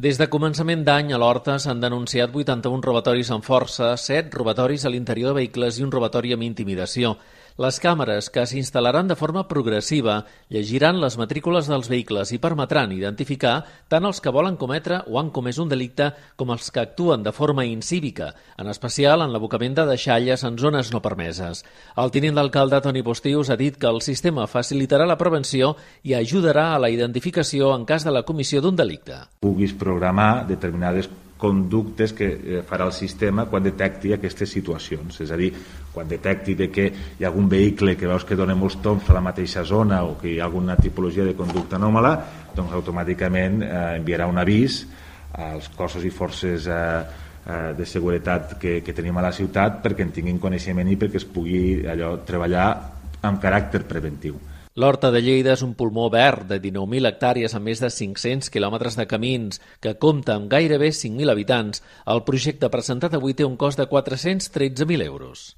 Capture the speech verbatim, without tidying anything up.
Des de començament d'any a l'Horta s'han denunciat vuitanta-un robatoris amb força, set robatoris a l'interior de vehicles i un robatori amb intimidació. Les càmeres, que s'instal·laran de forma progressiva, llegiran les matrícules dels vehicles i permetran identificar tant els que volen cometre o han comès un delicte com els que actuen de forma incívica, en especial en l'abocament de deixalles en zones no permeses. El tinent d'alcalde Toni Postius ha dit que el sistema facilitarà la prevenció i ajudarà a la identificació en cas de la comissió d'un delicte. Puguis programar determinades conductes que farà el sistema quan detecti aquestes situacions. És a dir, quan detecti de que hi ha algun vehicle que veus que dona molts tombs a la mateixa zona o que hi ha alguna tipologia de conducta anòmala, doncs automàticament eh, enviarà un avís als cossos i forces eh, eh, de seguretat que, que tenim a la ciutat perquè en tinguin coneixement i perquè es pugui allò treballar amb caràcter preventiu. L'Horta de Lleida és un pulmó verd de dinou mil hectàrees amb més de cinc-cents quilòmetres de camins, que compta amb gairebé cinc mil habitants. El projecte presentat avui té un cost de quatre-cents tretze mil euros.